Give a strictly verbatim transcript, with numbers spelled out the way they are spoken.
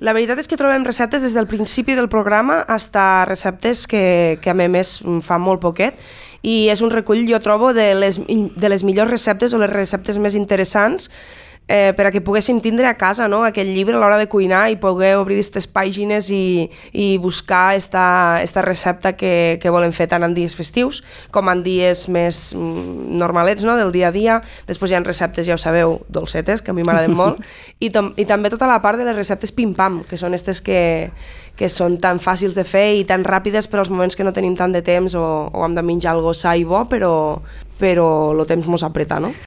La veritat és que trobem receptes des del principi del programa fins a receptes que, que a més fa molt poquet, i és un recull, jo trobo, de les, de les millors receptes o les receptes més interessants eh, per a que poguéssim tindre a casa, no? Aquell llibre a l'hora de cuinar i poder obrir aquestes pàgines i, i buscar esta, esta recepta que, que volem fer tant en dies festius com en dies més mm, normalets, no? Del dia a dia. Després hi ha receptes, ja ho sabeu, dolcetes, que a mi m'agraden molt, i, tom, i també tota la part de les receptes pim-pam, que són aquestes que, que són tan fàcils de fer i tan ràpides per als moments que no tenim tant de temps o, o hem de menjar algo sa i bo, però, però el temps mos apreta, no?